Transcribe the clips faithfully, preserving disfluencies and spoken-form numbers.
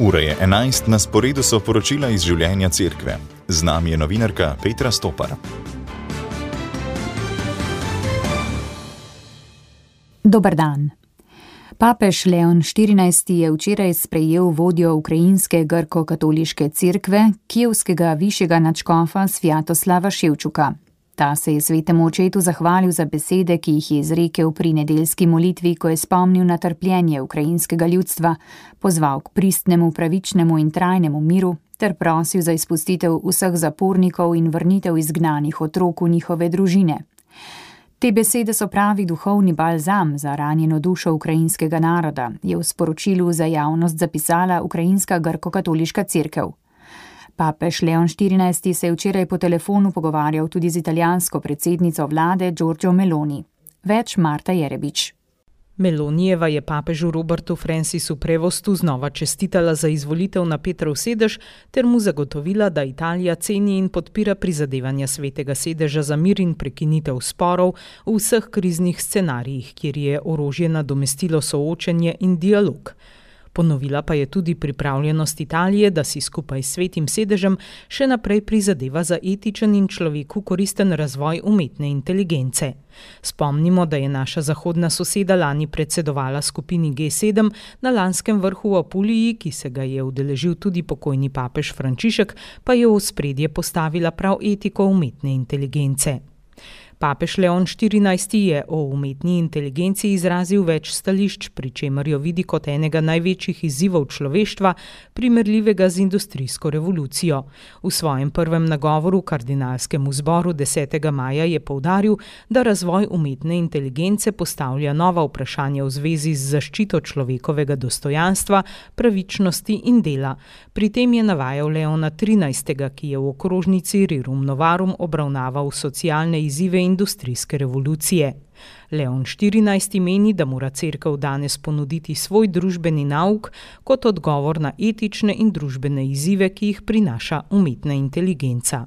Ura je enajst, na sporedu so poročila iz življenja cerkve. Z nami je novinarka Petra Stopar. Dober dan. Papež Leon štirinajsti je včeraj sprejel vodjo ukrajinske grko-katoliške cerkve, kijevskega višjega nadškofa Svjatoslava Ševčuka. Ta se je svetemu očetu zahvalil za besede, ki jih je izrekel pri nedeljski molitvi, ko je spomnil na trpljenje ukrajinskega ljudstva, pozval k pristnemu, pravičnemu in trajnemu miru ter prosil za izpustitev vseh zapornikov in vrnitev izgnanih otrok v njihove družine. Te besede so pravi duhovni balzam za ranjeno dušo ukrajinskega naroda, je v sporočilu za javnost zapisala ukrajinska grko-katoliška cerkev. Papež Leon štirinajsti se je včeraj po telefonu pogovarjal tudi z italijansko predsednico vlade Giorgio Meloni. Več Marta Jerebič. Melonijeva je papežu Robertu Francisu Prevostu znova čestitala za izvolitev na Petrov sedež ter mu zagotovila, da Italija ceni in podpira prizadevanja svetega sedeža za mir in prekinitev sporov v vseh kriznih scenarijih, kjer je orožje nadomestilo soočenje in dialog. Ponovila pa je tudi pripravljenost Italije, da si skupaj s svetim sedežem še naprej prizadeva za etičen in človeku koristen razvoj umetne inteligence. Spomnimo, da je naša zahodna soseda lani predsedovala skupini G sedem na lanskem vrhu v Apuliji, ki se ga je udeležil tudi pokojni papež Frančišek, pa je v ospredje postavila prav etiko umetne inteligence. Papež Leon štirinajsti je o umetni inteligenci izrazil več stališč, pri čemer jo vidi kot enega največjih izzivov človeštva, primerljivega z industrijsko revolucijo. V svojem prvem nagovoru kardinalskemu zboru desetega maja je poudaril, da razvoj umetne inteligence postavlja nova vprašanja v zvezi z zaščito človekovega dostojanstva, pravičnosti in dela. Pri tem je navajal Leona trinajstega, ki je v okrožnici Rerum Novarum obravnaval socialne izzive industrijske revolucije. Leon štirinajsti meni, da mora cerkev danes ponuditi svoj družbeni nauk kot odgovor na etične in družbene izzive, ki jih prinaša umetna inteligenca.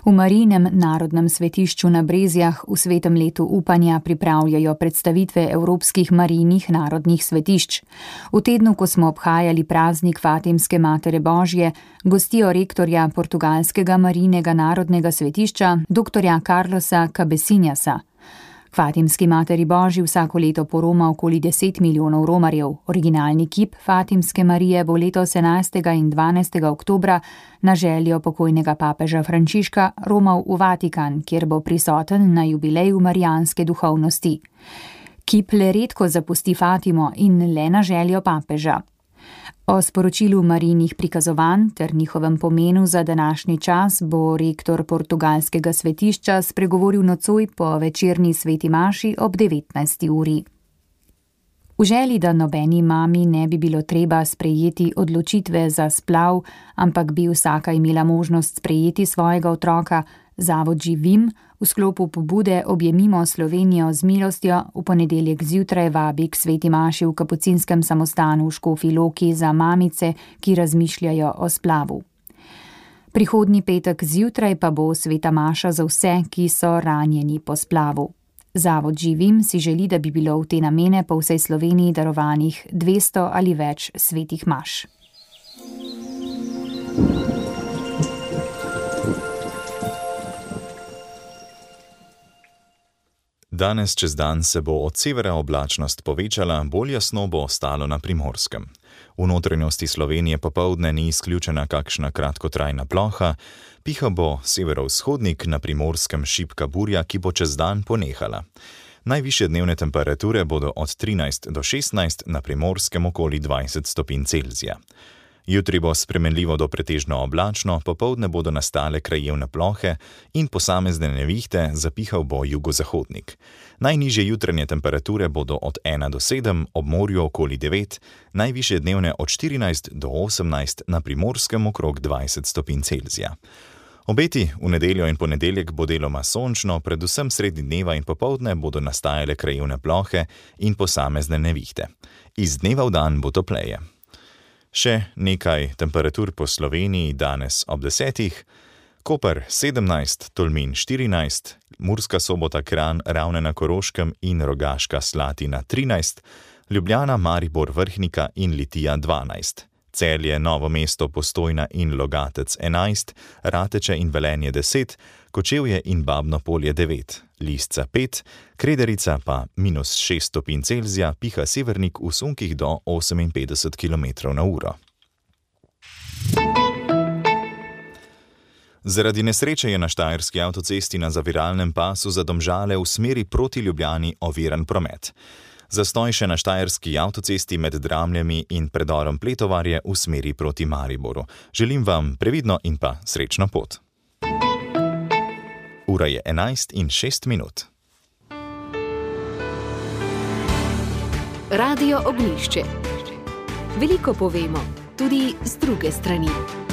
V Marijinem narodnem svetišču na Brezjah v svetem letu upanja pripravljajo predstavitve evropskih Marijinih narodnih svetišč. V tednu, ko smo obhajali praznik Fatimske Matere Božje, gostijo rektorja portugalskega Marijinega narodnega svetišča, doktorja Carlosa Cabecinhasa. Fatimski Materi Božji vsako leto poroma okoli deset milijonov romarjev. Originalni kip Fatimske Marije bo letos enajstega in dvanajstega oktobra na željo pokojnega papeža Frančiška romal v Vatikan, kjer bo prisoten na jubileju marijanske duhovnosti. Kip le redko zapusti Fatimo in le na željo papeža. O sporočilu Marijinih prikazovanj ter njihovem pomenu za današnji čas bo rektor portugalskega svetišča spregovoril nocoj po večerni sveti maši ob devetnajsti uri. V želji, da nobeni mami ne bi bilo treba sprejeti odločitve za splav, ampak bi vsaka imela možnost sprejeti svojega otroka, Zavod Živim v sklopu pobude Objemimo Slovenijo z milostjo v ponedeljek zjutraj vabi k sveti maši v kapucinskem samostanu v Škofji Loki za mamice, ki razmišljajo o splavu. Prihodnji petek zjutraj pa bo sveta maša za vse, ki so ranjeni po splavu. Zavod Živim si želi, da bi bilo v te namene po vsej Sloveniji darovanih dvesto ali več svetih maš. Danes čez dan se bo od severa oblačnost povečala, bolj jasno bo ostalo na Primorskem. V notranjosti Slovenije popoldne ni izključena kakšna kratkotrajna ploha, piha bo severovzhodnik, na Primorskem šibka burja, ki bo čez dan ponehala. Najvišje dnevne temperature bodo od trinajst do šestnajst, na Primorskem okoli dvajset stopinj Celzija. Jutri bo spremenljivo do pretežno oblačno, popoldne bodo nastale krajevne plohe in posamezne nevihte, zapihal bo jugozahodnik. Najnižje jutranje temperature bodo od ena do sedem, ob morju okoli devet, najvišje dnevne od štirinajst do osemnajst, na Primorskem okrog dvajset stopinj Celzija. Obeti v nedeljo in ponedeljek bo deloma sončno, predvsem sredi dneva in popoldne bodo nastajale krajevne plohe in posamezne nevihte. Iz dneva v dan bo topleje. Še nekaj temperatur po Sloveniji danes ob desetih. Koper sedemnajst, Tolmin štirinajst, Murska Sobota, Kranj, Ravne na Koroškem in Rogaška Slatina trinajst, Ljubljana, Maribor, Vrhnika in Litija dvanajst. Celje, Novo mesto, Postojna in Logatec enajst, Rateče in Velenje deset, Kočevje in Babno Polje devet, Lisca pet, Krederica pa minus šest stopinj Celzija, piha severnik v sunkih do oseminpetdeset kilometrov na uro. Zaradi nesreče je na štajerski avtocesti na zaviralnem pasu za Domžale v smeri proti Ljubljani oviran promet. Zastoj še na štajerski avtocesti med Dramljami in predorom Pletovarje v smeri proti Mariboru. Želim vam previdno in pa srečno pot. Ura je enajst in šest minut. Radio Ognjišče. Veliko povemo, tudi z druge strani.